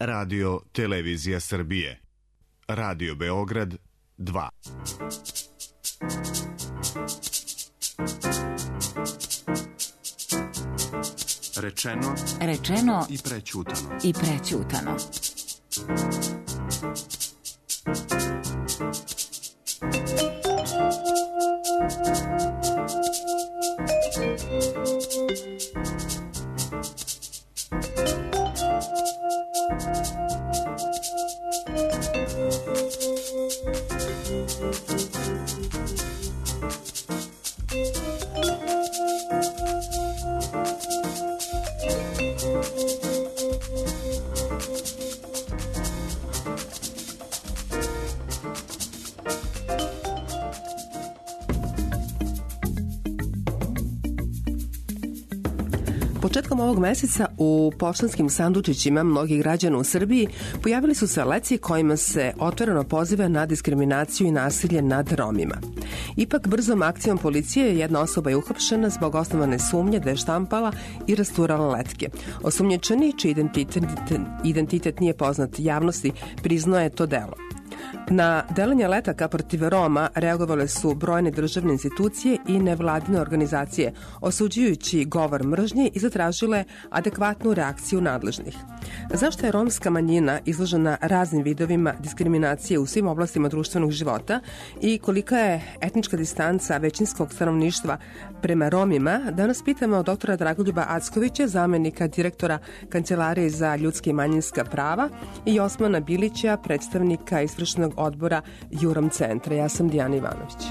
Radio Televizija Srbije. Radio Beograd 2. Rečeno i prećutano. Početkom ovog meseca u poštanskim sandučićima mnogih građana u Srbiji pojavili su se leci kojima se otvoreno poziva na diskriminaciju i nasilje nad Romima. Ipak, brzom akcijom policije jedna osoba je uhapšena zbog osnovane sumnje da je štampala i rasturala letke. Osumnjičeni, čiji identitet nije poznat javnosti, priznao je to delo. Na delanje letaka protiv Roma reagovale su brojne državne institucije i nevladine organizacije, osuđujući govor mržnje i zatražile adekvatnu reakciju nadležnih. Zašto je romska manjina izložena raznim vidovima diskriminacije u svim oblastima društvenog života i kolika je etnička distanca većinskog stanovništva prema Romima, danas pitamo doktora Dragoljuba Ackovića, zamenika direktora Kancelarije za ljudska i manjinska prava, i Osmana Bilića, predstavnika izvršnog odbora Jurom centra. Ja sam Dijana Ivanović.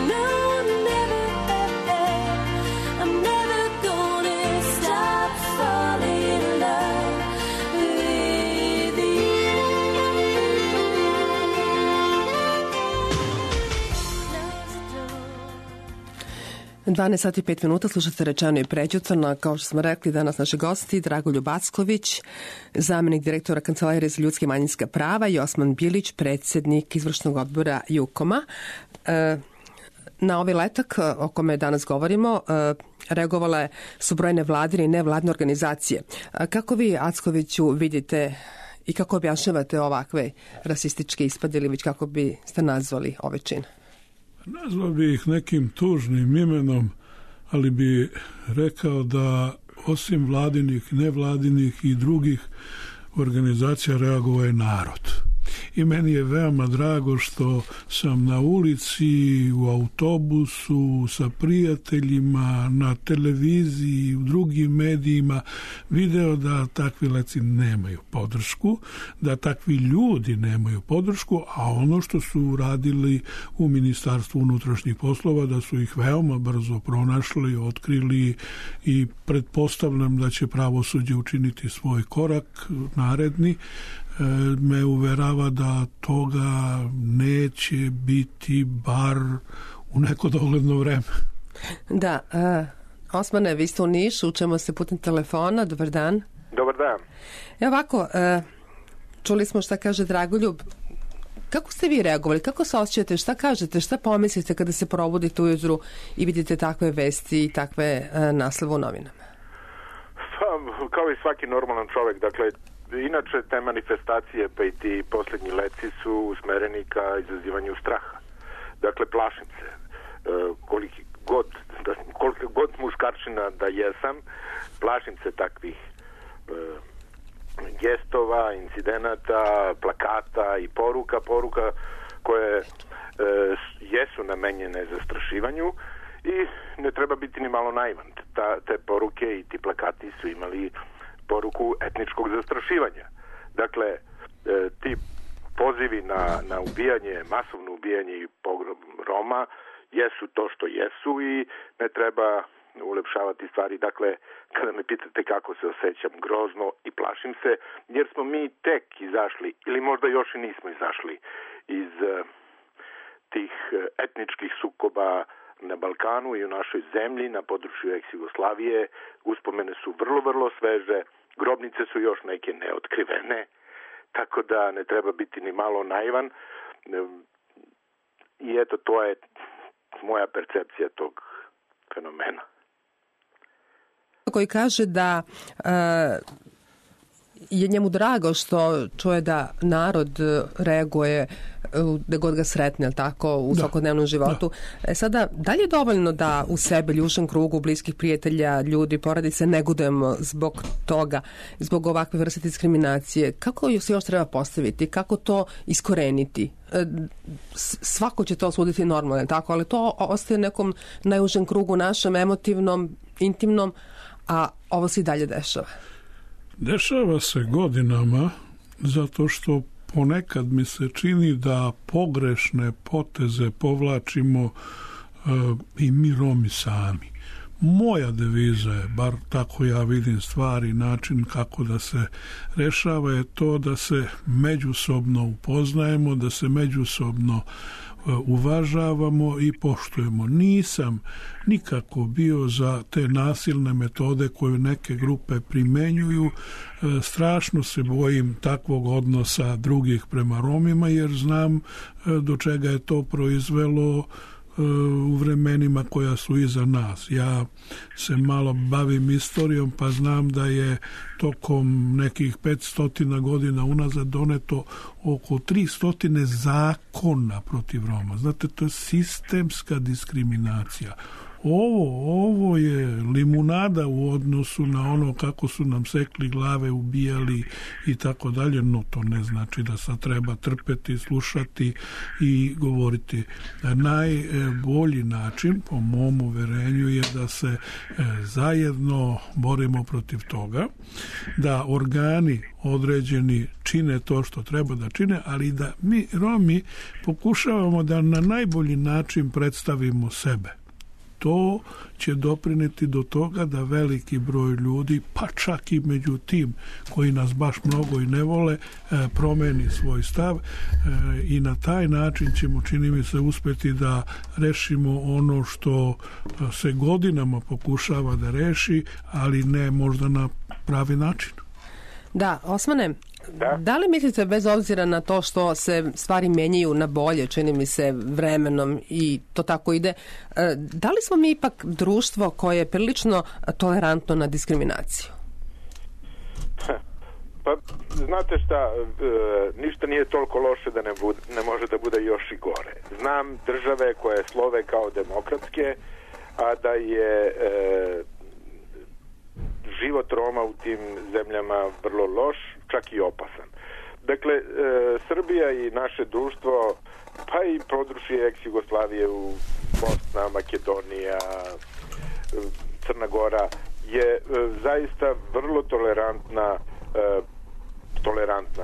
No 12 sati i 5 minuta, slušate Rečeno i prećutano. Kao što smo rekli, danas naši gosti Dragoljub Acković, zamenik direktora Kancelarije za ljudska i manjinska prava, i Osman Bilić, predsjednik izvršnog odbora JUKOM-a. Na ovaj letak o kome danas govorimo reagovale su brojne vladine i nevladine organizacije. Kako vi, Ackoviću, vidite i kako objašnjavate ovakve rasističke ispade, ili već kako bi ste nazvali ove čine? Nazvao bi ih nekim tužnim imenom, ali bi rekao da osim vladinih, nevladinih i drugih organizacija reagovao je narod. I meni je veoma drago što sam na ulici, u autobusu, sa prijateljima, na televiziji, u drugim medijima video da takvi leci nemaju podršku, da takvi ljudi nemaju podršku, a ono što su uradili u Ministarstvu unutrašnjih poslova, da su ih veoma brzo pronašli, otkrili, i pretpostavljam da će pravosuđe učiniti svoj korak naredni, me uverava da toga neće biti bar u neko dogledno vreme. Da, Osmane, vi ste u Nišu, učemo se putem telefona. Dobar dan. Dobar dan. Ovako, čuli smo šta kaže Dragoljub. Kako ste vi reagovali? Kako se osjećate? Šta kažete? Šta pomislite kada se probudite ujutru i vidite takve vesti i takve naslove u novinama? Pa, kao i svaki normalan čovjek, dakle, inače te manifestacije pa i ti posljednji leci su usmereni ka izazivanju straha. Dakle, plašim se. Koliko god muškarčina da jesam, plašim se takvih gestova, incidenata, plakata i poruka koje jesu namenjene zastrašivanju, i ne treba biti ni malo naivan. Te poruke i ti plakati su imali poruku etničkog zastrašivanja. Dakle, ti pozivi na ubijanje, masovno ubijanje i pogrom Roma jesu to što jesu i ne treba ulepšavati stvari. Dakle, kada me pitate kako se osjećam, grozno i plašim se, jer smo mi tek izašli, ili možda još i nismo izašli iz tih etničkih sukoba na Balkanu i u našoj zemlji, na području ex-Jugoslavije. Uspomene su vrlo, vrlo sveže, grobnice su još neke neotkrivene, tako da ne treba biti ni malo naivan. I eto, to je moja percepcija tog fenomena. Koji kaže da je njemu drago što čuje da narod reaguje da god ga sretne, tako, u svakodnevnom životu. Sada, da li je dovoljno da u sebe, ljušem krugu, bliskih prijatelja, ljudi, porodice, negodujemo zbog toga, zbog ovakve vrste diskriminacije? Kako se još treba postaviti? Kako to iskoreniti? Svako će to osuditi normalno, tako, ali to ostaje nekom najužem krugu, našem, emotivnom, intimnom, a ovo se i dalje dešava. Dešava se godinama zato što ponekad mi se čini da pogrešne poteze povlačimo i mi Romi sami. Moja deviza je, bar tako ja vidim stvari, način kako da se rešava je to da se međusobno upoznajemo, da se međusobno uvažavamo i poštujemo. Nisam nikako bio za te nasilne metode koje neke grupe primenjuju. Strašno se bojim takvog odnosa drugih prema Romima, jer znam do čega je to proizvelo u vremenima koja su iza nas. Ja se malo bavim istorijom, pa znam da je tokom nekih 500 godina unazad doneto oko 300 zakona protiv Roma. Znate, to je sistemska diskriminacija. Ovo je limunada u odnosu na ono kako su nam sekli glave, ubijali i tako dalje, no to ne znači da sad treba trpeti, slušati i govoriti. Najbolji način, po mom uverenju, je da se zajedno borimo protiv toga, da organi određeni čine to što treba da čine, ali da mi Romi pokušavamo da na najbolji način predstavimo sebe. to će doprineti do toga da veliki broj ljudi, pa čak i među tim koji nas baš mnogo i ne vole, promeni svoj stav i na taj način ćemo, čini mi se, uspjeti da rešimo ono što se godinama pokušava da reši, ali ne možda na pravi način. Da, Osmane, da li mislite, bez obzira na to što se stvari menjaju na bolje, čini mi se, vremenom i to tako ide, da li smo mi ipak društvo koje je prilično tolerantno na diskriminaciju? Pa, znate šta, ništa nije toliko loše da ne može da bude još i gore. Znam države koje slove kao demokratske, a da je život Roma u tim zemljama vrlo loš, čak i opasan. Dakle, Srbija i naše društvo, pa i područje ex-Jugoslavije u Bosna, Makedonija, Crna Gora, je zaista vrlo tolerantna.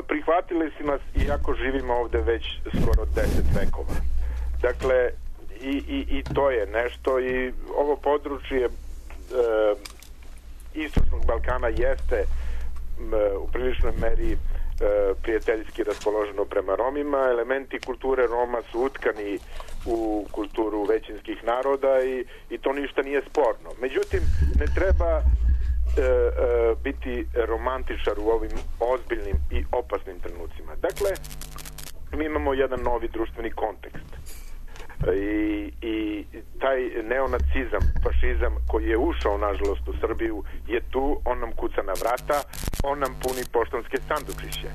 Prihvatili su nas iako živimo ovde već skoro 10 vekova. Dakle, i to je nešto, i ovo područje Istočnog Balkana jeste u priličnoj meri prijateljski raspoloženo prema Romima. Elementi kulture Roma su utkani u kulturu većinskih naroda i to ništa nije sporno. Međutim, ne treba biti romantičar u ovim ozbiljnim i opasnim trenucima. Dakle, mi imamo jedan novi društveni kontekst i taj neonacizam, fašizam koji je ušao nažalost u Srbiju je tu, on nam kuca na vrata, on nam puni poštanske sandučiće.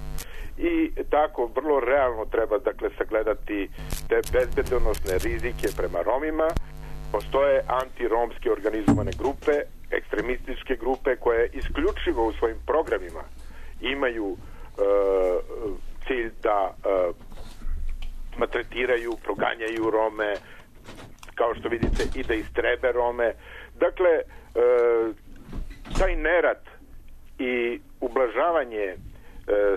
I tako vrlo realno treba, dakle, sagledati te bezbedonosne rizike prema Romima. Postoje antiromske organizovane grupe, ekstremističke grupe koje isključivo u svojim programima imaju cilj da maltretiraju, proganjaju Rome, kao što vidite, i da istrebe Rome. Dakle, taj nerad i ublažavanje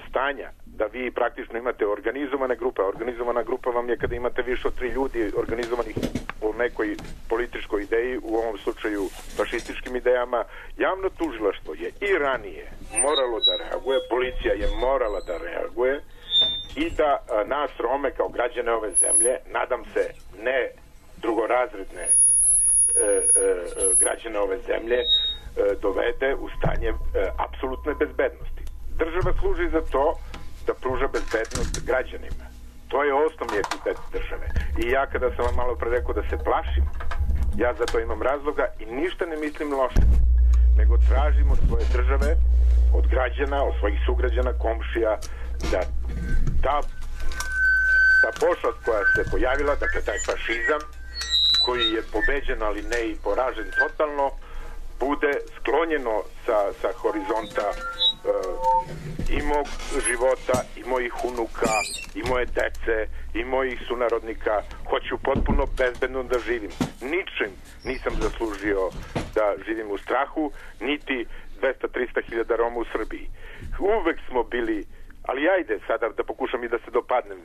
stanja da vi praktično imate organizovane grupe. Organizovana grupa vam je kada imate više od 3 ljudi organizovanih u nekoj političkoj ideji, u ovom slučaju fašističkim idejama. Javno tužilaštvo je i ranije moralo da reaguje, policija je morala da reaguje i da nas Rome kao građane ove zemlje, nadam se ne drugorazredne građane ove zemlje, dovede u stanje apsolutne bezbednosti. Država služi za to da pruža bezbednost građanima. To je osnovni epitet države. I ja kada sam vam malo pre rekao da se plašim, ja za to imam razloga i ništa ne mislim loše, nego tražim od svoje države, od građana, od svojih sugrađana, komšija, da ta pošast koja se pojavila, dakle taj fašizam koji je pobeđen, ali ne i poražen totalno, bude sklonjeno sa horizonta i mog života, i mojih unuka, i moje dece, i mojih sunarodnika. Hoću potpuno bezbedno da živim. Ničim nisam zaslužio da živim u strahu, niti 200-300 hiljada Roma u Srbiji. Uvek smo bili, ali ajde sada da pokušam i da se dopadnem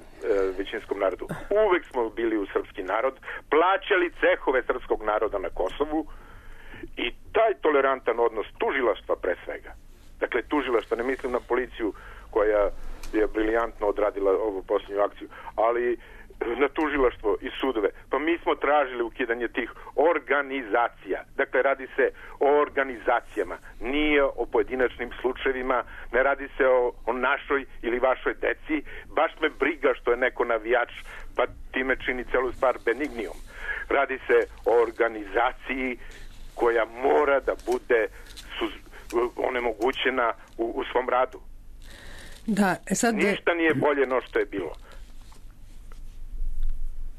većinskom narodu. Uvek smo bili u srpski narod, plaćali cehove srpskog naroda na Kosovu i taj tolerantan odnos tužilaštva pre svega. Dakle, tužilaštva, ne mislim na policiju koja je briljantno odradila ovu posljednju akciju, ali na tužilaštvo i sudove. Pa mi smo tražili ukidanje tih organizacija. Dakle, radi se o organizacijama, nije o pojedinačnim slučajevima, ne radi se o našoj ili vašoj deci. Baš me briga što je neko navijač, pa time čini celu stvar benignijom. Radi se o organizaciji koja mora da bude onemogućena u svom radu. Da, sad... Ništa nije bolje no što je bilo.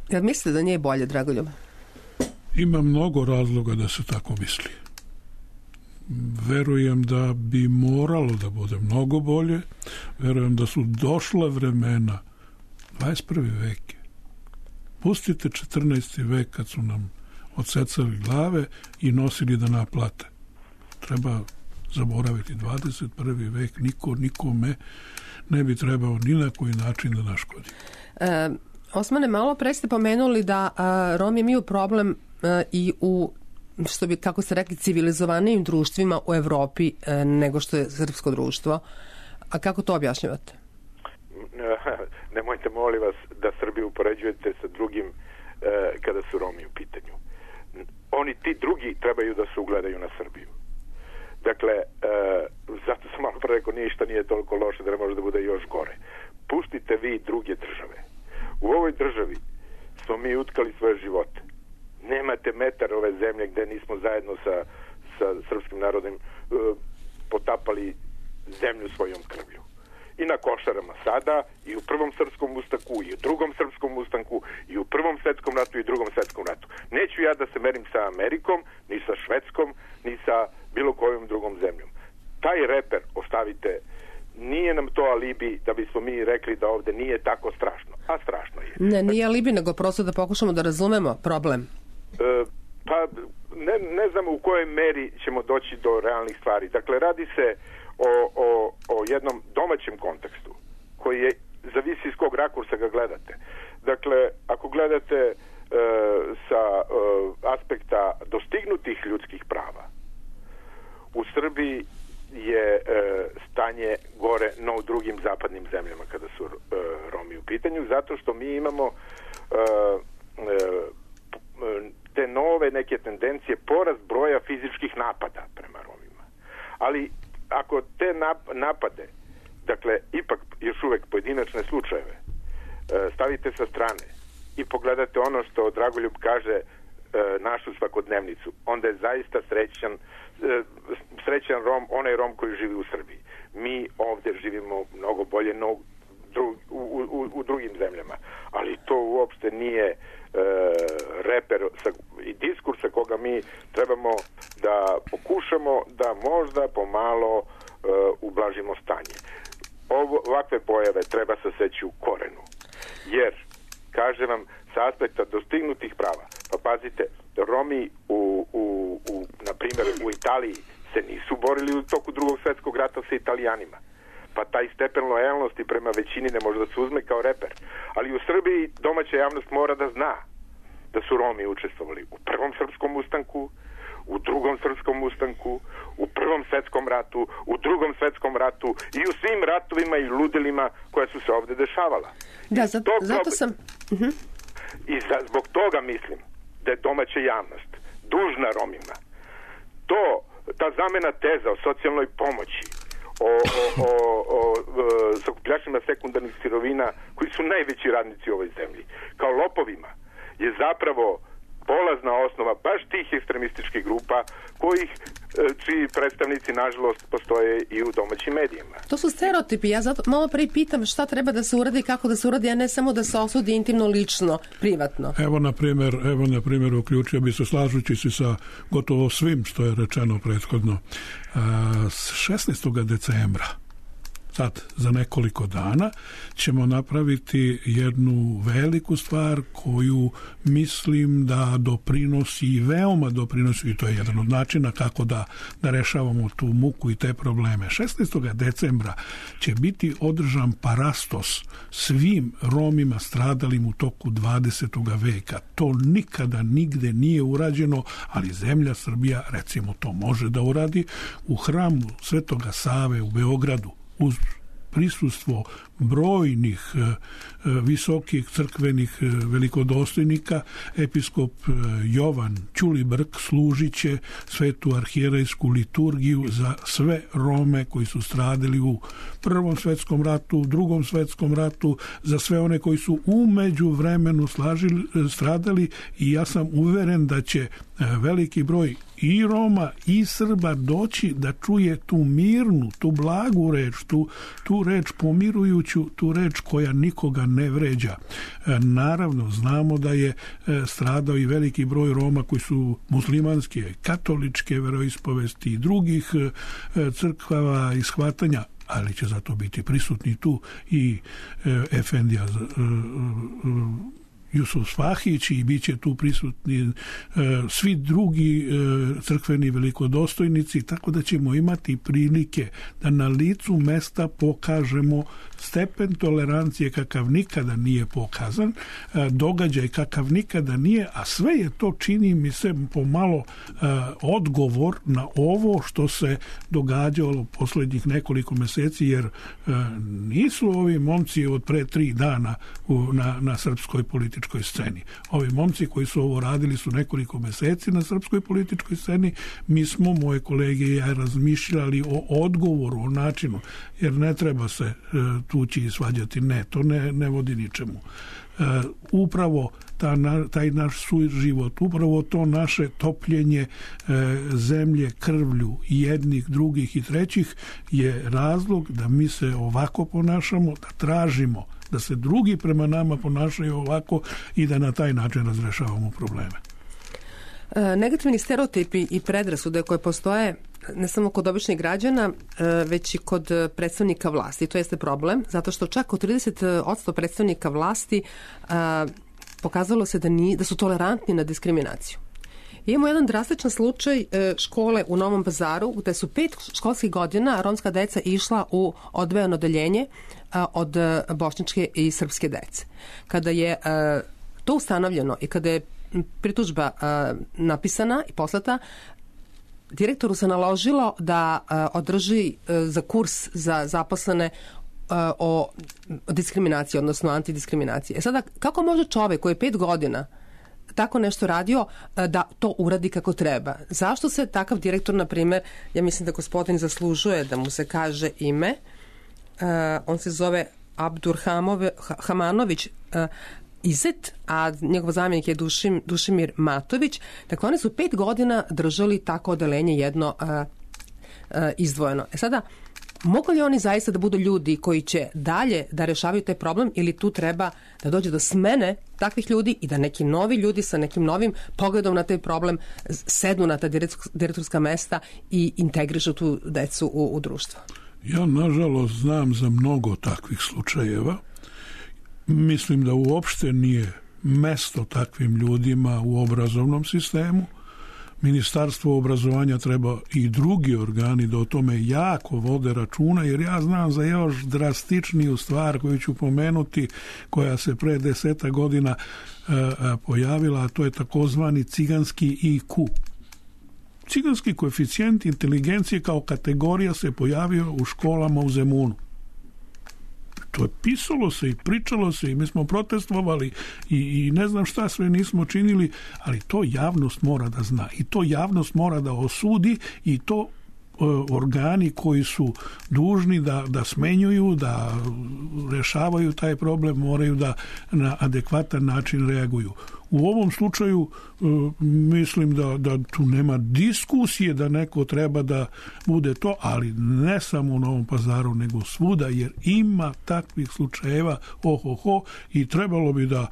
Jel mislite da nije bolje, Dragoljub? Ima mnogo razloga da se tako misli. Verujem da bi moralo da bude mnogo bolje. Verujem da su došla vremena, 21. vek. Pustite 14. vek kad su nam odsecali glave i nosili da naplate. Treba zaboraviti 21. vek, niko nikome ne bi trebao ni na koji način da naškodi. Osmane, malo pre ste pomenuli da Romi imaju problem i u, što bi, kako ste rekli, civilizovanijim društvima u Evropi nego što je srpsko društvo. A kako to objašnjavate? Nemojte, molim vas, da Srbiju upoređujete sa drugim kada su Romi u pitanju. Oni, ti drugi, trebaju da se ugledaju na Srbiju. Dakle, zato sam malo pre rekao, ništa nije toliko loše da ne može da bude još gore. Pustite vi druge države. U ovoj državi smo mi utkali svoje živote. Nemate metar ove zemlje gde nismo zajedno sa srpskim narodom potapali zemlju svojom krvlju. I na Košarama sada, i u prvom srpskom ustanku, i u drugom srpskom ustanku, i u prvom svetskom ratu, i u drugom svetskom ratu. Neću ja da se merim sa Amerikom, ni sa Švedskom, ni sa bilo kojom drugom zemljom. Taj reper ostavite, nije nam to alibi da bismo mi rekli da ovde nije tako strašno. A strašno je. Ne, nije alibi, nego prosto da pokušamo da razumemo problem. Pa ne znam u kojoj meri ćemo doći do realnih stvari. Dakle, radi se o jednom domaćem kontekstu koji je, zavisi iz kog rakursa ga gledate. Dakle, ako gledate sa aspekta dostignutih ljudskih prava, u Srbiji je stanje gore no u drugim zapadnim zemljama kada su Romi u pitanju, zato što mi imamo te nove neke tendencije, porast broja fizičkih napada prema Romima. Ali ako te napade, dakle, ipak još uvek pojedinačne slučajeve, stavite sa strane i pogledate ono što Dragoljub kaže, našu svakodnevnicu, onda je zaista srećan Rom, onaj Rom koji živi u Srbiji. Mi ovdje živimo mnogo bolje u drugim zemljama, ali to uopšte nije reper i diskurs sa koga mi trebamo da pokušamo da možda pomalo ublažimo stanje. Ovakve pojave treba saseći u korenu, jer, kažem vam, sa aspekta dostignutih prava, pa pazite, Romi na primjer u Italiji se nisu borili u toku drugog svjetskog rata sa Italijanima, pa taj stepen lojalnosti prema većini ne može da se uzme kao reper. Ali u Srbiji domaća javnost mora da zna da su Romi učestvovali u prvom srpskom ustanku, u drugom srpskom ustanku, u prvom svetskom ratu, u drugom svetskom ratu i u svim ratovima i ludilima koja su se ovdje dešavala. Da, zato sam... I zbog toga mislim da je domaća javnost dužna Romima. Ta zamena teza o socijalnoj pomoći, o sakupljačima sekundarnih sirovina koji su najveći radnici u ovoj zemlji, kao lopovima, je zapravo polazna osnova baš tih ekstremističkih grupa čiji predstavnici nažalost postoje i u domaćim medijima. To su stereotipi. Ja zato malo prije pitam šta treba da se uradi, kako da se uradi, a ne samo da se osudi intimno, lično, privatno. Evo na primjer uključio bi se, slažući se sa gotovo svim što je rečeno prethodno. 16. decembra, sad za nekoliko dana, ćemo napraviti jednu veliku stvar koju mislim da doprinosi i veoma doprinosi, i to je jedan od načina kako da rešavamo tu muku i te probleme. 16. decembra će biti održan parastos svim Romima stradalim u toku 20. veka. To nikada nigde nije urađeno, ali zemlja Srbija, recimo, to može da uradi u hramu Svetoga Save u Beogradu, uz prisustvo brojnih visokih crkvenih velikodostojnika. Episkop Jovan Ćulibrk služit će svetu arhijerejsku liturgiju za sve Rome koji su stradali u Prvom svetskom ratu, u Drugom svetskom ratu, za sve one koji su u međuvremenu stradali, i ja sam uveren da će veliki broj i Roma i Srba doći da čuje tu mirnu, tu blagu reč, tu reč pomirujuću, tu reč koja nikoga ne vređa. Naravno, znamo da je stradao i veliki broj Roma koji su muslimanske, katoličke veroispovesti i drugih crkava i shvatanja, ali će zato biti prisutni tu i efendija Jusuf Fahić i bit će tu prisutni svi drugi crkveni velikodostojnici, tako da ćemo imati prilike da na licu mesta pokažemo stepen tolerancije kakav nikada nije pokazan, događaj kakav nikada nije, a sve je to, čini mi se, pomalo odgovor na ovo što se događalo posljednjih nekoliko meseci, jer nisu ovi momci od pre 3 dana na srpskoj političkoj sceni. Ovi momci koji su ovo radili su nekoliko meseci na srpskoj političkoj sceni. Mi smo, moje kolege i ja, razmišljali o odgovoru, o načinu, jer ne treba se tući i svađati. Ne, to ne vodi ničemu. Upravo taj naš suživot, upravo to naše topljenje zemlje krvlju jednih, drugih i trećih je razlog da mi se ovako ponašamo, da tražimo da se drugi prema nama ponašaju ovako i da na taj način razrešavamo probleme. Negativni stereotipi i predrasude koje postoje ne samo kod običnih građana, već i kod predstavnika vlasti. To jeste problem, zato što čak od 30% predstavnika vlasti pokazalo se da su tolerantni na diskriminaciju. Imamo jedan drastičan slučaj škole u Novom Pazaru, gde su 5 školskih godina romska deca išla u odvojeno odeljenje od bošnjačke i srpske dece. Kada je to ustanovljeno i kada je pritužba napisana i poslata, direktoru se naložilo da održi za kurs za zaposlene o diskriminaciji, odnosno antidiskriminaciji. Sada, kako može čovek koji je 5 godina tako nešto radio da to uradi kako treba? Zašto se takav direktor, na primjer, ja mislim da gospodin zaslužuje da mu se kaže ime, on se zove Abdur Hamanović Izet, a njegov zamjenik je Dušimir Matović. Dakle, oni su 5 godina držali tako odeljenje jedno izdvojeno. Sada, mogu li oni zaista da budu ljudi koji će dalje da rešavaju taj problem, ili tu treba da dođe do smene takvih ljudi i da neki novi ljudi sa nekim novim pogledom na taj problem sednu na ta direktorska mesta i integrišu tu decu u društvo? Ja, nažalost, znam za mnogo takvih slučajeva. Mislim da uopšte nije mesto takvim ljudima u obrazovnom sistemu. Ministarstvo obrazovanja treba i drugi organi da o tome jako vode računa, jer ja znam za još drastičniju stvar koju ću pomenuti, koja se pre 10 godina pojavila, a to je takozvani ciganski IQ. Ciganski koeficijent inteligencije kao kategorija se pojavio u školama u Zemunu. To je pisalo se i pričalo se i mi smo protestovali i ne znam šta sve nismo činili, ali to javnost mora da zna i to javnost mora da osudi i to organi koji su dužni da smenjuju, da rešavaju taj problem, moraju da na adekvatan način reaguju. U ovom slučaju mislim da tu nema diskusije da neko treba da bude to, ali ne samo u Novom Pazaru, nego svuda, jer ima takvih slučajeva i trebalo bi da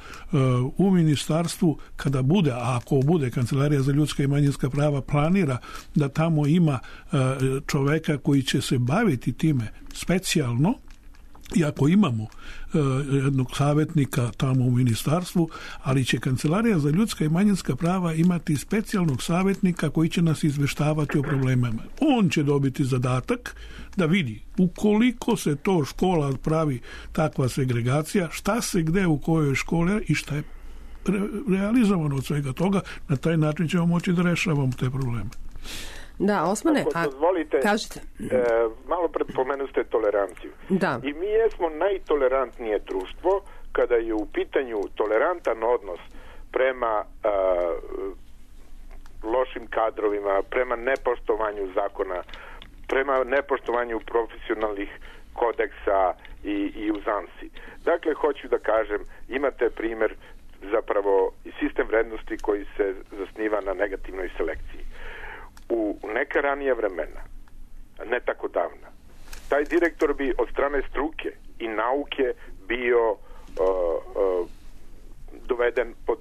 u ministarstvu, kada bude, a ako bude Kancelarija za ljudska i manjinska prava planira da tamo ima čoveka koji će se baviti time specijalno, i ako imamo jednog savjetnika tamo u ministarstvu, ali će Kancelarija za ljudska i manjinska prava imati specijalnog savjetnika koji će nas izveštavati o problemima. On će dobiti zadatak da vidi ukoliko se to škola pravi takva segregacija, šta se gde u kojoj škole i šta je realizovano od svega toga. Na taj način ćemo moći da rešavamo te probleme. Da, Osmane, dozvolite, kažete. Malo predpomenu ste toleranciju. Da. I mi jesmo najtolerantnije društvo kada je u pitanju tolerantan odnos prema lošim kadrovima, prema nepoštovanju zakona, prema nepoštovanju profesionalnih kodeksa i uzansi. Dakle, hoću da kažem, imate primjer zapravo sistem vrednosti koji se zasniva na negativnoj selekciji. U neka ranija vremena, ne tako davna, taj direktor bi od strane struke i nauke bio doveden pod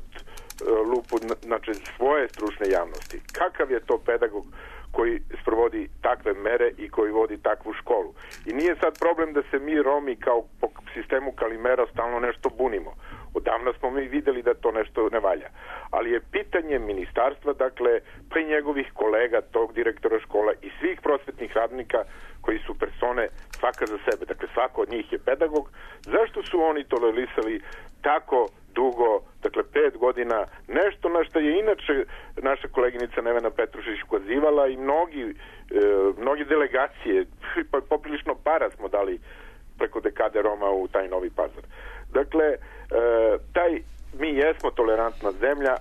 lupu, znači, svoje stručne javnosti. Kakav je to pedagog koji sprovodi takve mere i koji vodi takvu školu? I nije sad problem da se mi Romi kao po sistemu Kalimera stalno nešto bunimo. Odavno smo mi videli da to nešto ne valja. Ali je pitanje ministarstva, dakle, pa i njegovih kolega, tog direktora škola i svih prosvetnih radnika koji su persone svaka za sebe. Dakle, svako od njih je pedagog. Zašto su oni tolerisali tako dugo, dakle 5 godina, nešto na što je inače naša koleginica Nevena Petrušić ukazivala i mnogi delegacije, pa poprilično para smo dali preko dekade Roma u taj Novi Pazar. Dakle, mi jesmo tolerantna zemlja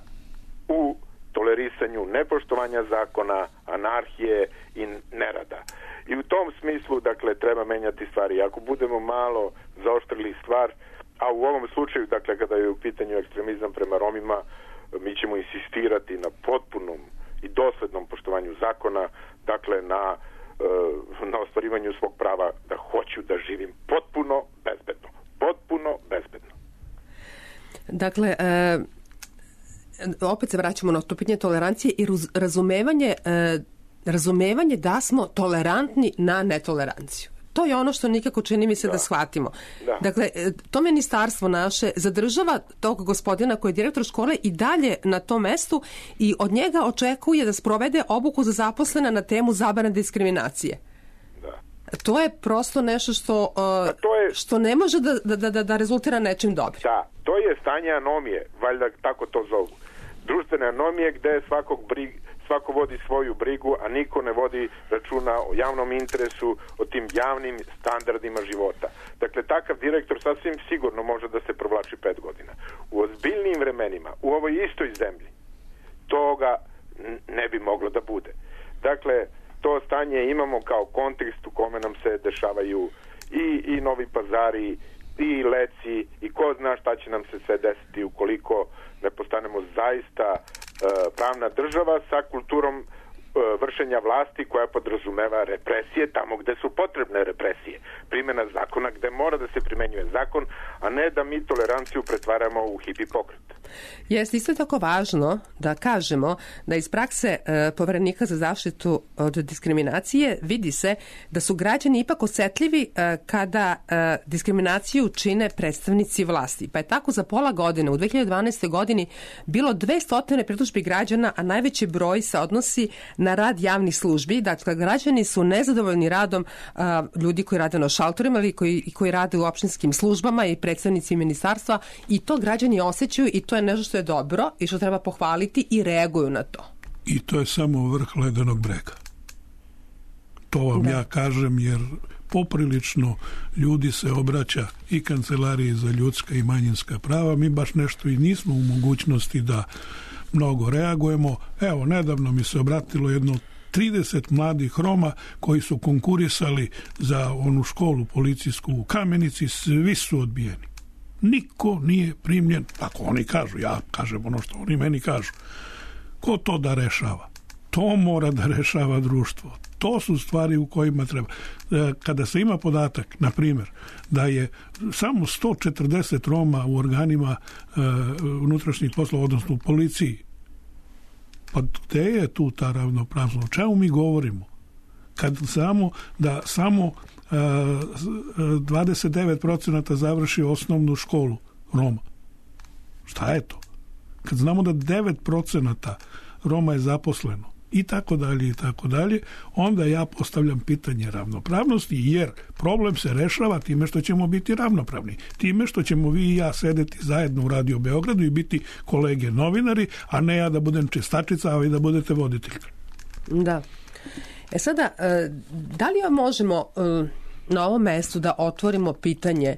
u tolerisanju nepoštovanja zakona, anarhije i nerada. I u tom smislu, dakle, treba menjati stvari. Ako budemo malo zaoštrili stvar, a u ovom slučaju, dakle, kada je u pitanju ekstremizam prema Romima, mi ćemo insistirati na potpunom i doslednom poštovanju zakona, dakle, na ostvarivanju svog prava da hoću da živim potpuno bezbedno. Potpuno bezbedno. Dakle, opet se vraćamo na to pitanje tolerancije i razumevanje da smo tolerantni na netoleranciju. To je ono što nikako čini mi se da shvatimo. Da. Dakle, to ministarstvo naše zadržava tog gospodina koji je direktor škole i dalje na tom mestu i od njega očekuje da sprovede obuku za zaposlena na temu zabrane diskriminacije. Da. To je prosto nešto što ne može da rezultira nečim dobrim. Da, to je stanje anomije, valjda tako to zovu. Društvene anomije gde svako vodi svoju brigu, a niko ne vodi računa o javnom interesu, o tim javnim standardima života. Dakle, takav direktor sasvim sigurno može da se provlači 5 godina. U ozbiljnim vremenima, u ovoj istoj zemlji, toga ne bi moglo da bude. Dakle, to stanje imamo kao kontekst u kome nam se dešavaju i Novi Pazari, i Leci, i ko zna šta će nam se sve desiti ukoliko ne postanemo zaista pravna država sa kulturom vršenja vlasti koja podrazumeva represije tamo gde su potrebne represije. Primjena zakona gde mora da se primenjuje zakon, a ne da mi toleranciju pretvaramo u hipi pokret. Jeste isto tako važno da kažemo da iz prakse Poverenika za zaštitu od diskriminacije vidi se da su građani ipak osetljivi kada diskriminaciju čine predstavnici vlasti. Pa je tako za pola godine u 2012. godini bilo 200 pritužbi građana, a najveći broj se odnosi na rad javnih službi. Dakle, građani su nezadovoljni radom ljudi koji rade na šalterima ili koji rade u opštinskim službama i predstavnici ministarstva i to građani osjećaju i to je nešto što je dobro i što treba pohvaliti i reaguju na to. I to je samo vrh ledenog brega. To vam ja kažem jer poprilično ljudi se obraća i Kancelariji za ljudska i manjinska prava. Mi baš nešto i nismo u mogućnosti da mnogo reagujemo. Evo, nedavno mi se obratilo jedno 30 mladih Roma koji su konkurisali za onu školu policijsku u Kamenici, svi su odbijeni. Niko nije primljen, tako oni kažu, ja kažem ono što oni meni kažu. Ko to da rešava? To mora da rešava društvo. To su stvari u kojima treba. Kada se ima podatak, na primjer, da je samo 140 Roma u organima unutrašnjih poslova, odnosno u policiji, pa gde je tu ta ravnopravnost? O čemu mi govorimo? Kad samo 29% završi osnovnu školu Roma. Šta je to? Kad znamo da 9% Roma je zaposleno i tako dalje, onda ja postavljam pitanje ravnopravnosti, jer problem se rešava time što ćemo biti ravnopravni. Time što ćemo vi i ja sedeti zajedno u Radio Beogradu i biti kolege novinari, a ne ja da budem čistačica, a vi da budete voditeljka. Da. Sada, da li možemo na ovom mestu da otvorimo pitanje,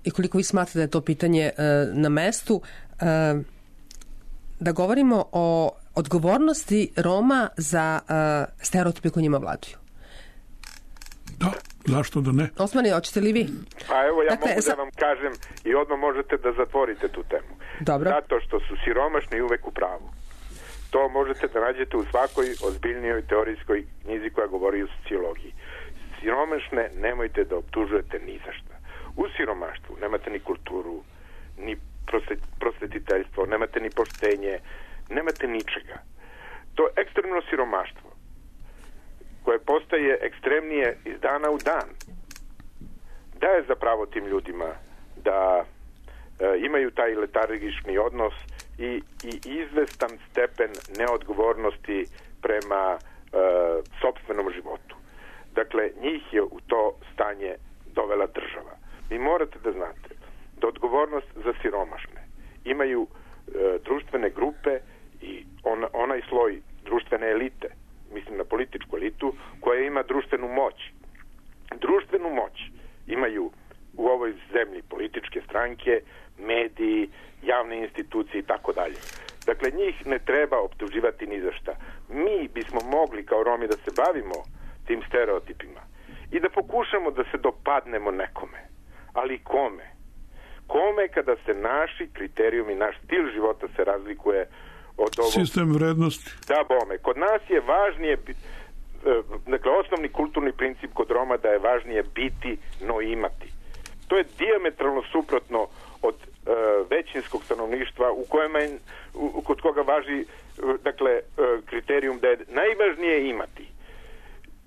i koliko vi smatrate da je to pitanje na mestu, da govorimo o odgovornosti Roma za stereotipe koji njima vladuju? Da, zašto da ne? Osmani, hoćete li vi? Pa evo, ja mogu da vam kažem i odmah možete da zatvorite tu temu. Dobro. Zato što su siromašni uvek u pravu. To možete da nađete u svakoj ozbiljnijoj teorijskoj knjizi koja govori o sociologiji. Siromašne nemojte da optužujete ni za šta. U siromaštvu nemate ni kulturu, ni prosvetiteljstvo, nemate ni poštenje, nemate ničega. To ekstremno siromaštvo koje postaje ekstremnije iz dana u dan daje zapravo tim ljudima da imaju taj letargični odnos i izvestan stepen neodgovornosti prema sopstvenom životu. Dakle, njih je u to stanje dovela država. Vi morate da znate da odgovornost za siromašne imaju društvene grupe i onaj sloj društvene elite, mislim na političku elitu, koja ima društvenu moć. Društvenu moć imaju u ovoj zemlji političke stranke, mediji, javne institucije i tako dalje. Dakle, njih ne treba optuživati ni za šta. Mi bismo mogli kao Romi da se bavimo tim stereotipima i da pokušamo da se dopadnemo nekome. Ali kome? Kome kada se naši kriterijumi, naš stil života se razlikuje od ovog... Sistem vrednosti. Da, bome. Kod nas je važnije, dakle, osnovni kulturni princip kod Roma da je važnije biti no imati. To je dijametralno suprotno od većinskog stanovništva kod koga važi, dakle, kriterijum da je najvažnije imati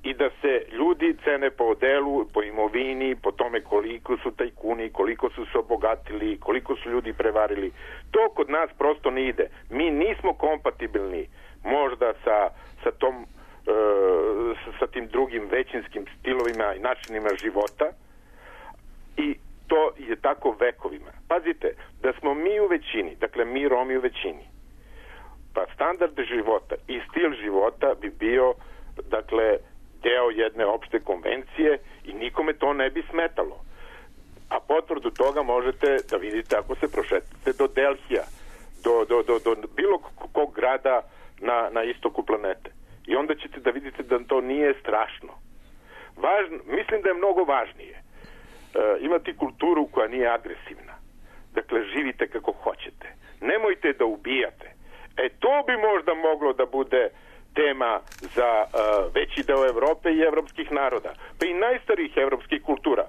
i da se ljudi cene po odelu, po imovini, po tome koliko su tajkuni, koliko su se obogatili, koliko su ljudi prevarili. To kod nas prosto ne ide. Mi nismo kompatibilni možda sa tim drugim većinskim stilovima i načinima života i to je tako vekovima. Pazite, da smo mi u većini, dakle mi Romi u većini, pa standard života i stil života bi bio, dakle, deo jedne opšte konvencije i nikome to ne bi smetalo. A potvrdu toga možete da vidite ako se prošetate do Delhija, do bilo kog grada na istoku planete. I onda ćete da vidite da to nije strašno. Mislim da je mnogo važnije imati kulturu koja nije agresivna. Dakle, živite kako hoćete. Nemojte da ubijate. To bi možda moglo da bude tema za veći deo Evrope i evropskih naroda, pa i najstarijih evropskih kultura.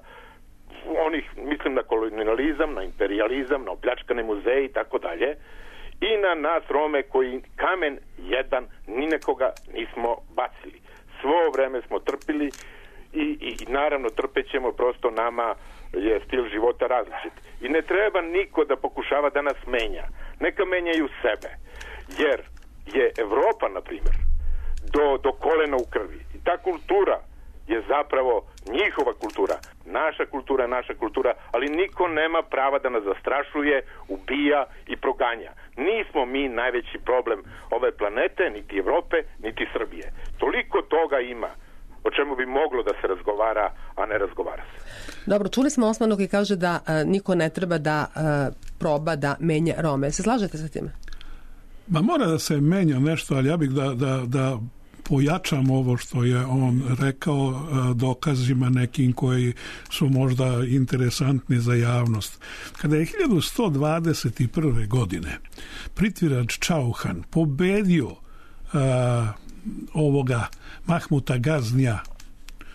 Mislim na kolonializam, na imperializam, na opljačkane muzeje i tako dalje. I na nas Rome koji kamen jedan ni nekoga nismo bacili. Svo vreme smo trpili i naravno trpećemo, prosto nama je stil života različit. I ne treba niko da pokušava da nas menja. Neka menjaju sebe. Jer je Evropa, na primjer, do kolena u krvi. I ta kultura je zapravo njihova kultura. Naša kultura, ali niko nema prava da nas zastrašuje, ubija i proganja. Nismo mi najveći problem ove planete, niti Evrope, niti Srbije. Toliko toga ima o čemu bi moglo da se razgovara, a ne razgovara se. Dobro, čuli smo Osmanu koji kaže da niko ne treba da proba da menja Rome. Se slažete sa time? Mora da se menja nešto, ali ja bih da pojačam ovo što je on rekao dokazima nekim koji su možda interesantni za javnost. Kada je 1121. godine Prithviraj Čauhan pobedio ovoga Mahmuta Gaznija,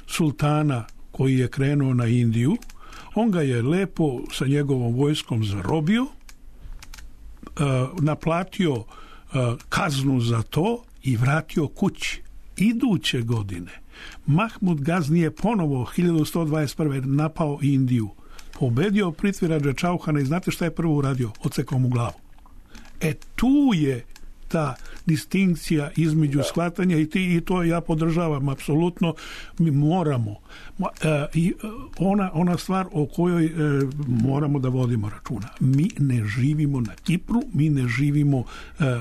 sultana koji je krenuo na Indiju, on ga je lepo sa njegovom vojskom zarobio, naplatio kaznu za to i vratio kući. Iduće godine Mahmud Gazni je ponovo 1121. napao Indiju, pobedio Prithviraja Čauhana i znate šta je prvo uradio? Odsekao mu glavu. Tu je ta distinkcija između shvatanja i to ja podržavam apsolutno. Mi moramo ona stvar o kojoj moramo da vodimo računa. Mi ne živimo na Kipru, mi ne živimo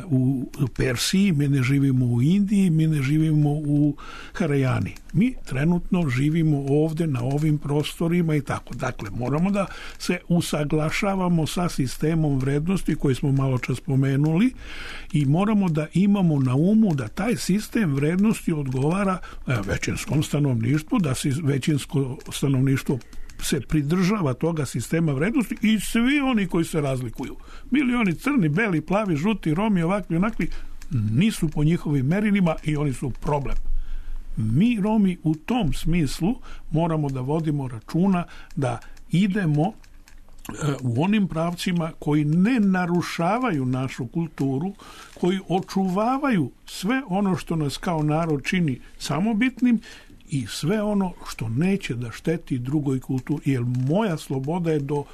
u Persiji, mi ne živimo u Indiji, mi ne živimo u Harajani. Mi trenutno živimo ovde na ovim prostorima i tako. Dakle, moramo da se usaglašavamo sa sistemom vrednosti koji smo malo čas spomenuli i moramo da imamo na umu da taj sistem vrednosti odgovara većinskom stanovništvu, da se većinsko stanovništvo se pridržava toga sistema vrednosti i svi oni koji se razlikuju. Bili oni crni, beli, plavi, žuti, Romi, ovakvi, onakvi, nisu po njihovim merilima i oni su problem. Mi Romi u tom smislu moramo da vodimo računa da idemo u onim pravcima koji ne narušavaju našu kulturu, koji očuvavaju sve ono što nas kao narod čini samobitnim i sve ono što neće da šteti drugoj kulturi. Jer moja sloboda je do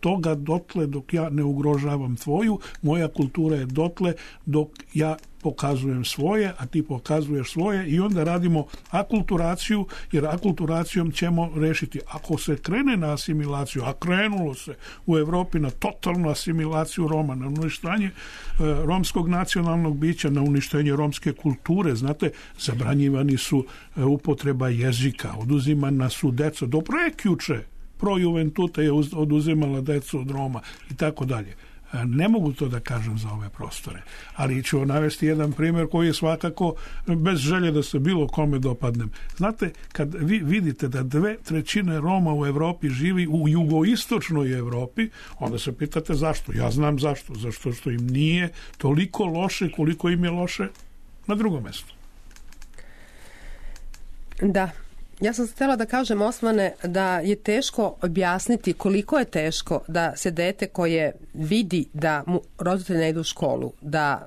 toga dotle dok ja ne ugrožavam tvoju, moja kultura je dotle dok ja pokazujem svoje, a ti pokazuješ svoje i onda radimo akulturaciju, jer akulturacijom ćemo rešiti. Ako se krene na asimilaciju, a krenulo se u Evropi na totalnu asimilaciju Roma, na uništenje romskog nacionalnog bića, na uništenje romske kulture, znate, zabranjivani su upotreba jezika, oduzimana su deca, do prekjuče pro Juventuta je oduzimala decu od Roma i tako dalje. Ne mogu to da kažem za ove prostore, ali ću navesti jedan primjer koji je svakako bez želje da se bilo kome dopadnem. Znate, kad vi vidite da 2/3 Roma u Evropi živi u jugoistočnoj Evropi, onda se pitate zašto. Ja znam zašto. Zašto što im nije toliko loše koliko im je loše na drugom mestu. Da. Ja sam htjela da kažem, Osmane, da je teško objasniti koliko je teško da se dete koje vidi da mu roditelji ne idu u školu, da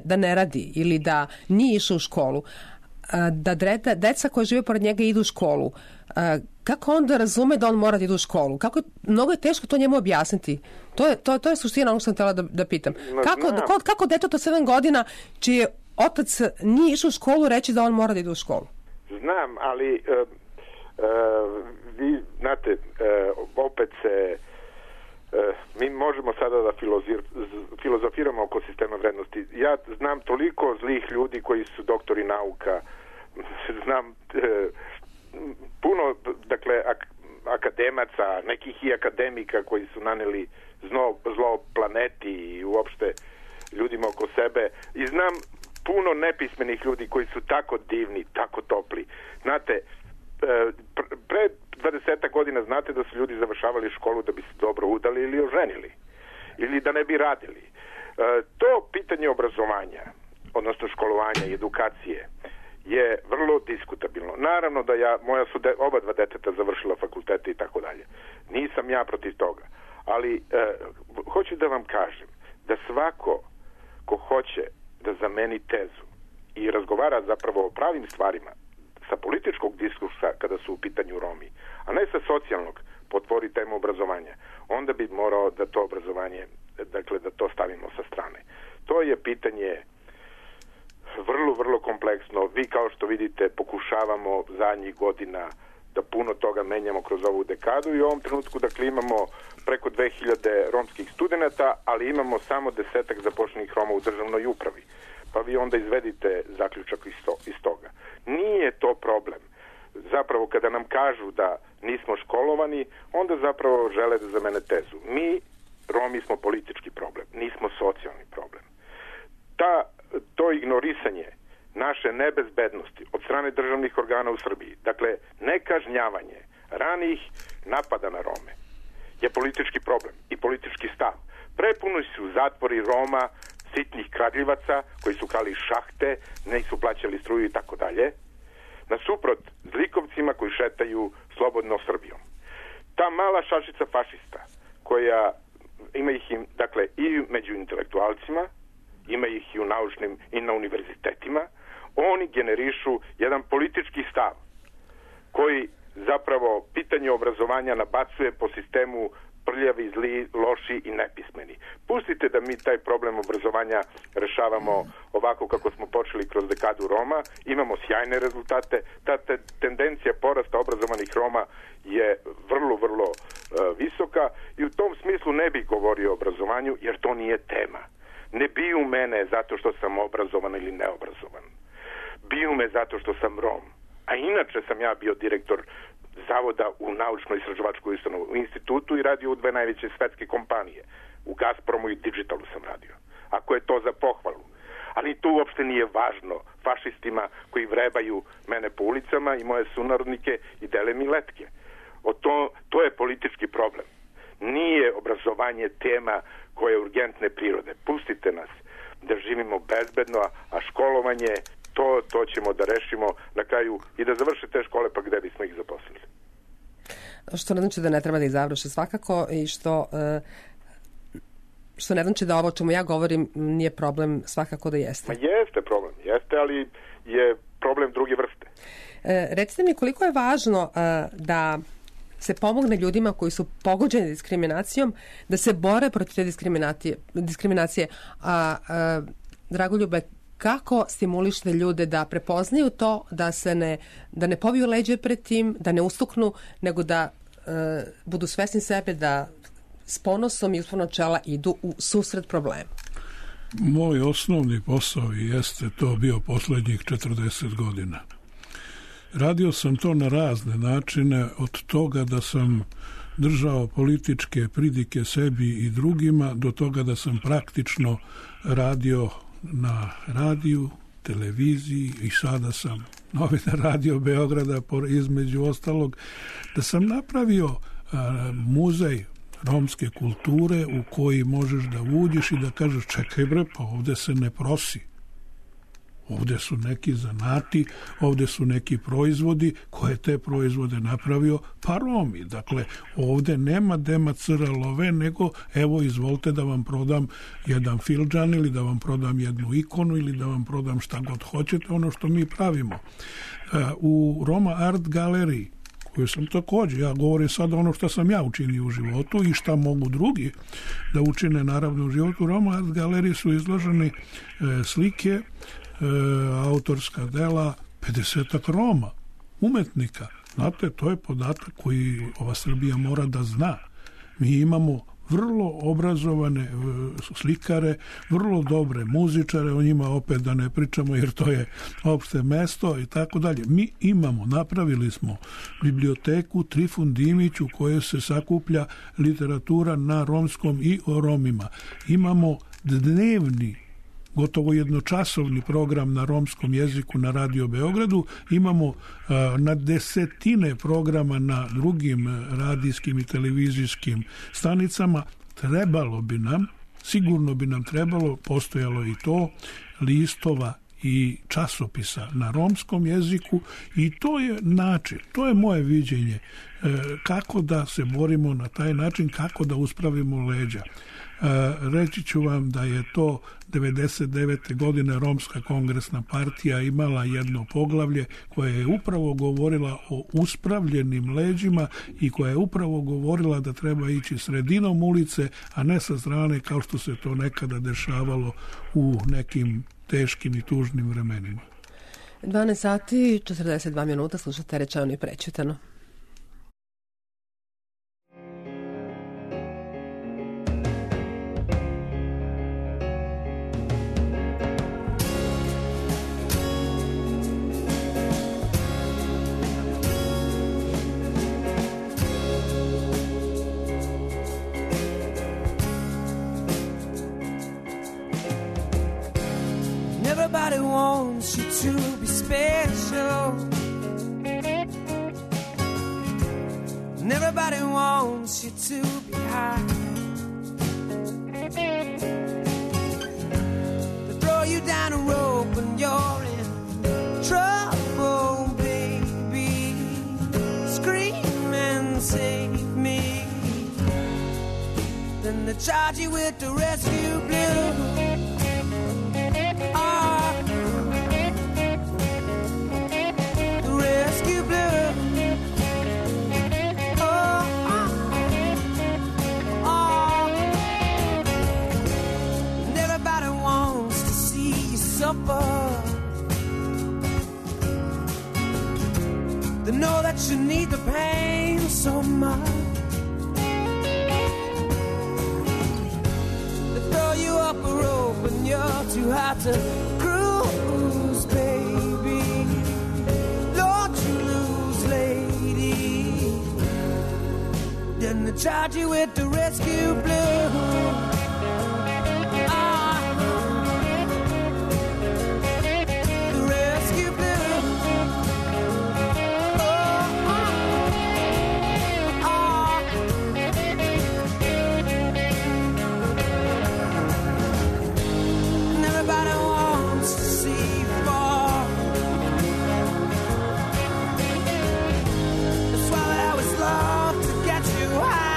da ne radi ili da nije išao u školu, da deca koja žive pored njega idu u školu, kako on da razume da on mora da ide u školu? Mnogo je teško to njemu objasniti. To je suština onog što sam htjela da pitam. Kako dete od 7 godina čiji otac nije išao u školu reći da on mora da ide u školu? Znam, ali vi znate, opet se mi možemo sada da filozofiramo oko sistema vrednosti. Ja znam toliko zlih ljudi koji su doktori nauka, znam puno, dakle, akademaca, nekih i akademika koji su naneli zlo planeti i uopšte ljudima oko sebe, i znam puno nepismenih ljudi koji su tako divni, tako topli. Znate, pre 20 godina znate da su ljudi završavali školu da bi se dobro udali ili oženili. Ili da ne bi radili. To pitanje obrazovanja, odnosno školovanja i edukacije, je vrlo diskutabilno. Naravno da moja su oba dva deteta završila fakultete i tako dalje. Nisam ja protiv toga. Ali hoću da vam kažem da svako ko hoće da zameni tezu i razgovara zapravo o pravim stvarima sa političkog diskursa kada su u pitanju Romi, a ne sa socijalnog, potvori temu obrazovanja, onda bi morao da to obrazovanje, dakle da to stavimo sa strane. To je pitanje vrlo, vrlo kompleksno. Vi kao što vidite pokušavamo zadnjih godina da puno toga menjamo kroz ovu dekadu i u ovom trenutku dakle imamo preko 2000 romskih studenata, ali imamo samo 10 zaposlenih Roma u državnoj upravi. Pa vi onda izvedite zaključak iz toga. Nije to problem. Zapravo kada nam kažu da nismo školovani, onda zapravo žele da zamene tezu. Mi, Romi, smo politički problem, nismo socijalni problem. To ignorisanje naše nebezbednosti od strane državnih organa u Srbiji, dakle nekažnjavanje ranih napada na Rome, je politički problem i politički stav. Prepuni su zatvori Roma, sitnih kradljivaca koji su krali šahte, nisu plaćali struju i tako dalje, nasuprot zlikovcima koji šetaju slobodno Srbijom. Ta mala šačica fašista koja ima ih dakle i među intelektualcima, ima ih i u naučnim i na univerzitetima, oni generišu jedan politički stav koji zapravo pitanje obrazovanja nabacuje po sistemu prljavi, zli, loši i nepismeni. Pustite da mi taj problem obrazovanja rešavamo ovako kako smo počeli kroz dekadu Roma, imamo sjajne rezultate, ta tendencija porasta obrazovanih Roma je vrlo, vrlo visoka i u tom smislu ne bih govorio o obrazovanju jer to nije tema. Ne biju mene zato što sam obrazovan ili neobrazovan. Biju me zato što sam Rom. A inače sam ja bio direktor zavoda u naučno-istraživačkoj ustanovu u institutu i radio u 2 najveće svetske kompanije. U Gazpromu i Digitalu sam radio. Ako je to za pohvalu. Ali to uopšte nije važno fašistima koji vrebaju mene po ulicama i moje sunarodnike i dele mi letke. To je politički problem. Nije obrazovanje tema koja je urgentne prirode. Pustite nas da živimo bezbedno, a školovanje to ćemo da rešimo na kraju i da završe te škole pa gde bismo ih zaposlili. Što ne znači da ne treba da ih završe svakako i što ne znači da ovo čemu ja govorim nije problem, svakako da jeste. Jeste problem, jeste, ali je problem druge vrste. Recite mi koliko je važno da se pomogne ljudima koji su pogođeni diskriminacijom da se bore protiv te diskriminacije. Dragoljube, kako stimulišete ljude da prepoznaju to, da ne poviju leđe pred tim, da ne ustuknu, nego da budu svesni sebe, da s ponosom i uspon čela idu u susret problemu? Moj osnovni posao jeste to bio poslednjih 40 godina. Radio sam to na razne načine, od toga da sam držao političke pridike sebi i drugima, do toga da sam praktično radio na radiju, televiziji i sada sam novinar Radio Beograda, između ostalog, da sam napravio muzej romske kulture u koji možeš da uđeš i da kažeš čekaj bre, pa ovde se ne prosi. Ovde su neki zanati, ovde su neki proizvodi, koje te proizvode napravio pa Romi. Dakle, ovde nema dema cra love, nego evo izvolite da vam prodam jedan filđan ili da vam prodam jednu ikonu ili da vam prodam šta god hoćete, ono što mi pravimo. U Roma Art Galeriji, koju sam također, ja govorim sad ono što sam ja učinio u životu i šta mogu drugi da učine naravno u životu. U Roma Art Galeriji su izloženi slike, autorska dela 50 Roma, umetnika. Znate, to je podatak koji ova Srbija mora da zna. Mi imamo vrlo obrazovane slikare, vrlo dobre muzičare, o njima opet da ne pričamo jer to je opšte mesto i tako dalje. Mi imamo, napravili smo biblioteku Trifun Dimić u kojoj se sakuplja literatura na romskom i o Romima. Imamo dnevni, gotovo jednočasovni program na romskom jeziku na Radio Beogradu, imamo na desetine programa na drugim radijskim i televizijskim stanicama. Trebalo bi nam, sigurno bi nam trebalo, postojalo i to, listova i časopisa na romskom jeziku i to je način, to je moje viđenje kako da se borimo na taj način, kako da uspravimo leđa. Reći ću vam da je to 99. godine Romska kongresna partija imala jedno poglavlje koje je upravo govorila o uspravljenim leđima i koja je upravo govorila da treba ići sredinom ulice, a ne sa strane kao što se to nekada dešavalo u nekim teškim i tužnim vremenima. 12 sati, 42 minuta, slušate Rečeno i prećutano. Everybody wants you to be special, and everybody wants you to be high. They throw you down a rope when you're in trouble, baby. Scream and save me. Then they charge you with the rescue blues. They know that you need the pain so much. They throw you up a rope and you're too hot to cruise, baby. Don't you lose, lady. Then they charge you with the rescue blues. That's why I was love to get you high.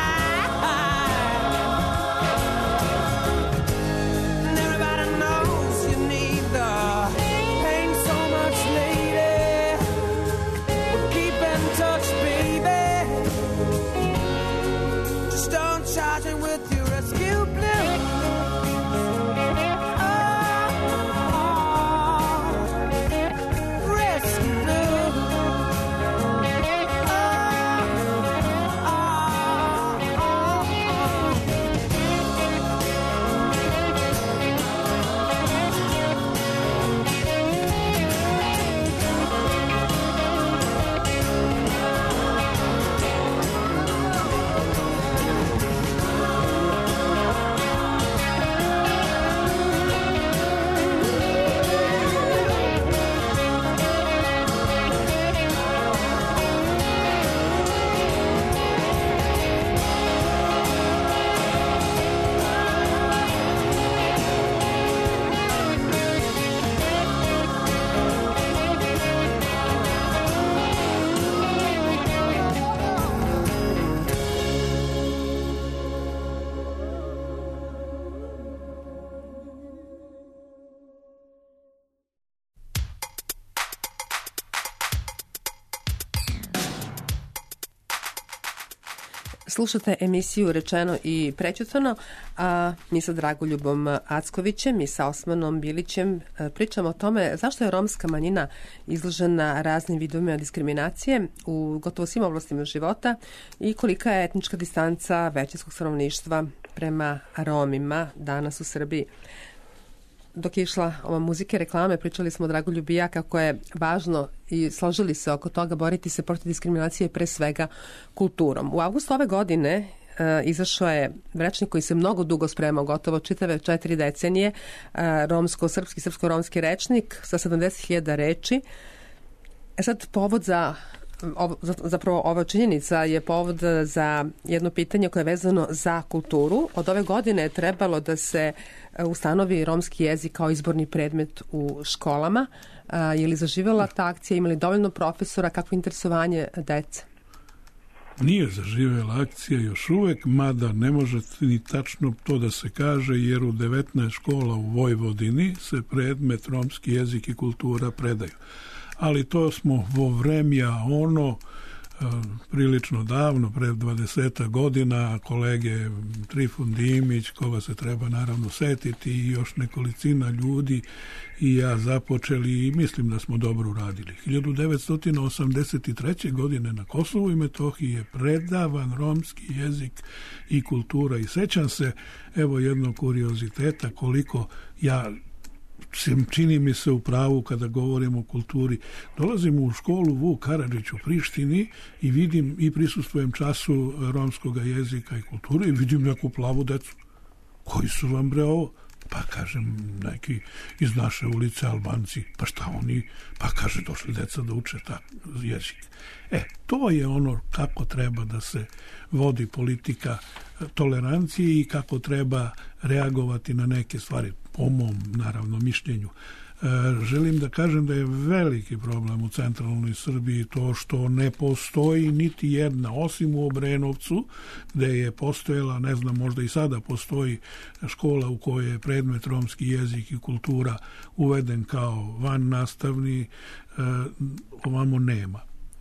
Slušate emisiju Rečeno i prećutano, a mi sa Dragoljubom Ackovićem i sa Osmanom Bilićem pričamo o tome zašto je romska manjina izložena raznim vidovima diskriminacije u gotovo svim oblastima života i kolika je etnička distanca većinskog stanovništva prema Romima danas u Srbiji. Dok je išla ova muzike, reklame, pričali smo o Dragoljubu i ja kako je važno i složili se oko toga boriti se protiv diskriminacije pre svega kulturom. U avgustu ove godine izašao je rečnik koji se mnogo dugo spremao, gotovo čitave 4 decenije, romsko-srpski, srpsko-romski rečnik sa 70.000 reči. Sad povod zapravo ova činjenica je povod za jedno pitanje koje je vezano za kulturu. Od ove godine je trebalo da se ustanovi romski jezik kao izborni predmet u školama. Je li zaživjela ta akcija? Ima li dovoljno profesora? Kakvo interesovanje dece? Nije zaživjela akcija još uvek, mada ne može ni tačno to da se kaže, jer u 19 škola u Vojvodini se predmet romski jezik i kultura predaju. Ali to smo vo vremja prilično davno, pre 20 godina, kolege Trifun Dimić, koga se treba naravno setiti, i još nekolicina ljudi i ja započeli i mislim da smo dobro uradili. 1983. godine na Kosovu i Metohiji je predavan romski jezik i kultura. I sećam se, evo jednog kurioziteta, koliko ja čini mi se u pravu kada govorimo o kulturi. Dolazim u školu Vuk Karadžić u Prištini i vidim i prisustvujem času romskog jezika i kulture i vidim neku plavu decu. Koji su vam bre ovo? Pa kažem, neki iz naše ulice Albanci. Pa šta oni? Pa kaže, došli deca da uče ta jezik. To je ono kako treba da se vodi politika tolerancije i kako treba reagovati na neke stvari, po mom, naravno, mišljenju. Želim da kažem da je veliki problem u centralnoj Srbiji to što ne postoji niti jedna, osim u Obrenovcu, gde je postojala, ne znam, možda i sada postoji škola u kojoj je predmet romski jezik i kultura uveden kao van nastavni, ovamo nema.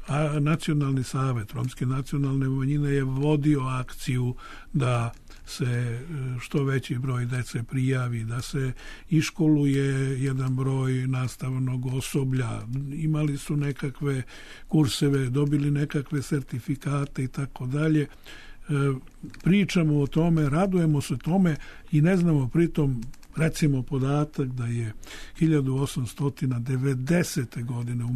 A Nacionalni savet romske nacionalne manjine je vodio akciju da se što veći broj dece prijavi, da se iškoluje jedan broj nastavnog osoblja, imali su nekakve kurseve, dobili nekakve sertifikate i tako dalje. Pričamo o tome, radujemo se tome i ne znamo pritom, recimo podatak da je 1890. godine u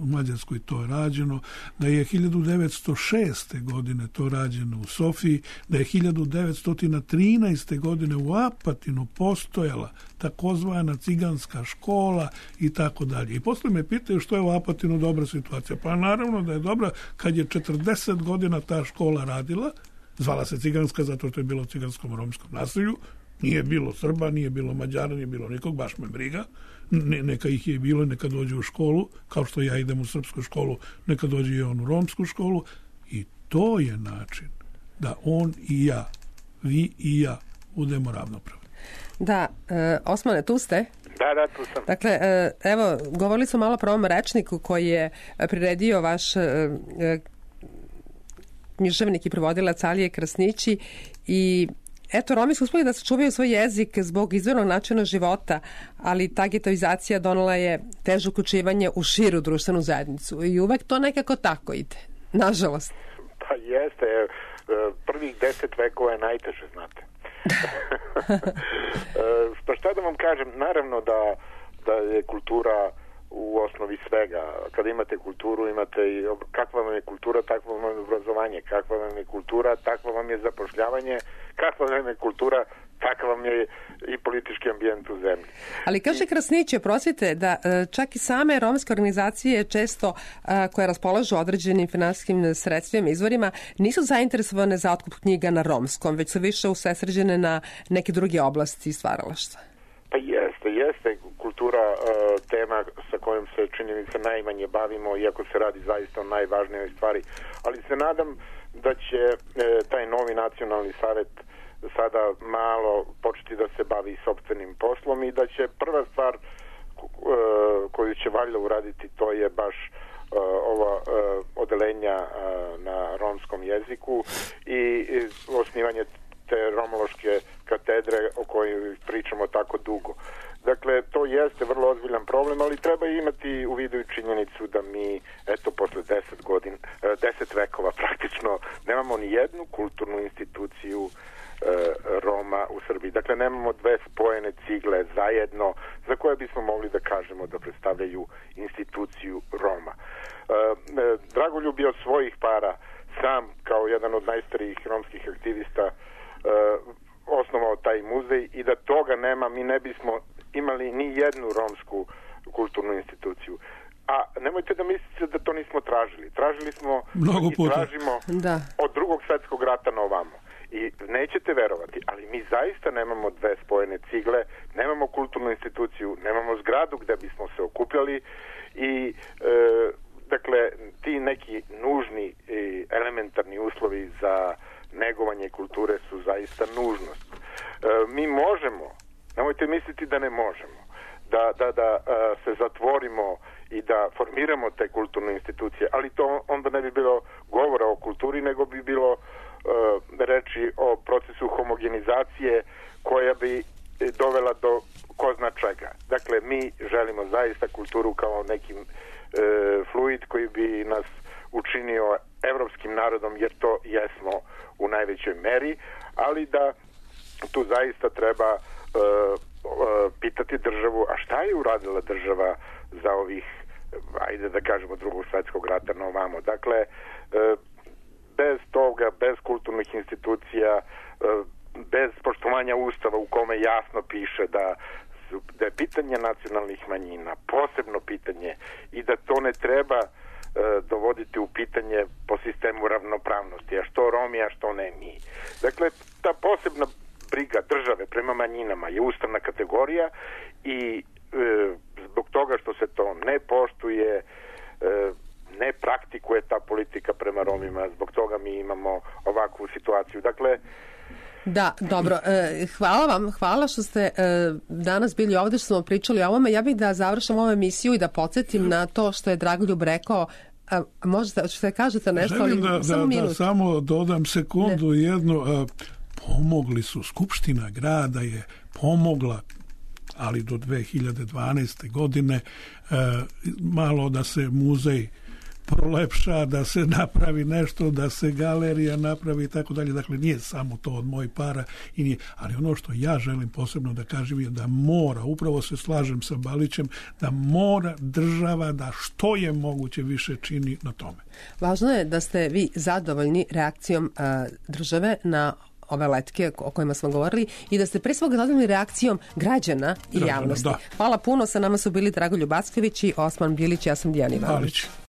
Mađarskoj to rađeno, da je 1906. godine to rađeno u Sofiji, da je 1913. godine u Apatinu postojala takozvana ciganska škola i tako dalje. I posle me pitaju što je u Apatinu dobra situacija. Pa naravno da je dobra kad je 40 godina ta škola radila, zvala se ciganska zato što je bilo u ciganskom romskom naselju, nije bilo Srba, nije bilo Mađara, nije bilo nikog, baš me briga. Neka ih je bilo, neka dođe u školu, kao što ja idem u srpsku školu, neka dođe i on u romsku školu. I to je način da on i ja, vi i ja, budemo ravnopravni. Da, Osmane, tu ste? Da, tu sam. Dakle, evo, govorili smo malo o prvom rečniku koji je priredio vaš književnik i prevodilac Alije Krasnići i eto, Romi su uspeli da sačuvaju svoj jezik zbog izvornog načina života, ali ta getoizacija donela je teže uključivanje u širu društvenu zajednicu i uvek to nekako tako ide, nažalost. Pa jeste, prvih 10 vekova je najteže, znate. Pa šta da vam kažem, naravno da je kultura u osnovi svega. Kada imate kulturu, imate i kakva vam je kultura, takva vam je obrazovanje, kakva vam je kultura, takva vam je zapošljavanje, kakva vam je kultura, takav vam je i politički ambijent u zemlji. Ali kaže Krasnić, prosite, da čak i same romske organizacije često koje raspolažu određenim finansijskim sredstvima, izvorima, nisu zainteresovane za otkup knjiga na romskom, već su više usredsređene na neke druge oblasti stvaralaštva. Pa jeste kultura tema sa kojom se čini mi se najmanje bavimo, iako se radi zaista o najvažnijoj stvari. Ali se nadam da će taj novi nacionalni savet sada malo početi da se bavi sopstvenim poslom i da će prva stvar koju će valjda uraditi, to je baš ova odelenja na romskom jeziku i osnivanje te romološke katedre o kojoj pričamo tako dugo. Dakle, to jeste vrlo ozbiljan problem, ali treba imati u vidu i činjenicu da mi, eto, posle 10 vekova praktično, nemamo ni jednu kulturnu instituciju Roma u Srbiji. Dakle, nemamo dve spojene cigle zajedno za koje bismo mogli da kažemo da predstavljaju instituciju Roma. Dragoljub je od svojih para sam, kao jedan od najstarijih romskih aktivista, osnovao taj muzej i da toga nema, mi ne bismo imali ni jednu romsku kulturnu instituciju. A nemojte da mislite da to nismo tražili. Tražili smo i tražimo od Drugog svjetskog rata na ovamo. I nećete verovati, ali mi zaista nemamo dve spojene cigle, nemamo kulturnu instituciju, nemamo zgradu gde bismo se okupljali i dakle, ti neki nužni i elementarni uslovi za negovanje kulture su zaista nužnost. Mi možemo, nemojte misliti da ne možemo, da se zatvorimo i da formiramo te kulturne institucije, ali to onda ne bi bilo govora o kulturi, nego bi bilo reči o procesu homogenizacije koja bi dovela do ko zna čega. Dakle, mi želimo zaista kulturu kao nekim fluid koji bi nas učinio evropskim narodom, jer to jesmo u najvećoj meri, ali da tu zaista treba pitati državu, a šta je uradila država za ovih, ajde da kažemo, Drugog svjetskog rata na ovamo. Dakle, bez toga, bez kulturnih institucija, bez poštovanja Ustava u kome jasno piše da je pitanje nacionalnih manjina posebno pitanje i da to ne treba dovoditi u pitanje po sistemu ravnopravnosti, a što Romi, a što ne mi. Dakle, ta posebna briga države prema manjinama je ustavna kategorija i zbog toga što se to ne poštuje, ne praktikuje ta politika prema Romima, zbog toga mi imamo ovakvu situaciju. Dakle, da, dobro. Hvala vam. Hvala što ste danas bili ovdje, što smo pričali o ovome. Ja bih da završim ovu emisiju i da podsjetim na to što je Dragoljub rekao. Možete što kažete nešto? Želim da samo dodam sekundu jednu. Pomogli su, Skupština grada je pomogla, ali do 2012. godine malo da se muzej prolepša, da se napravi nešto, da se galerija napravi i tako dalje. Dakle, nije samo to od mojih para, i nije. Ali ono što ja želim posebno da kažem je da mora, upravo se slažem sa Balićem, da mora država da što je moguće više čini na tome. Važno je da ste vi zadovoljni reakcijom države na ove letke o kojima smo govorili i da ste pre svega zadovoljni reakcijom građana i javnosti. Da. Hvala puno, sa nama su bili Dragoljub Acković i Osman Bilić, ja sam Dijana Ivanović.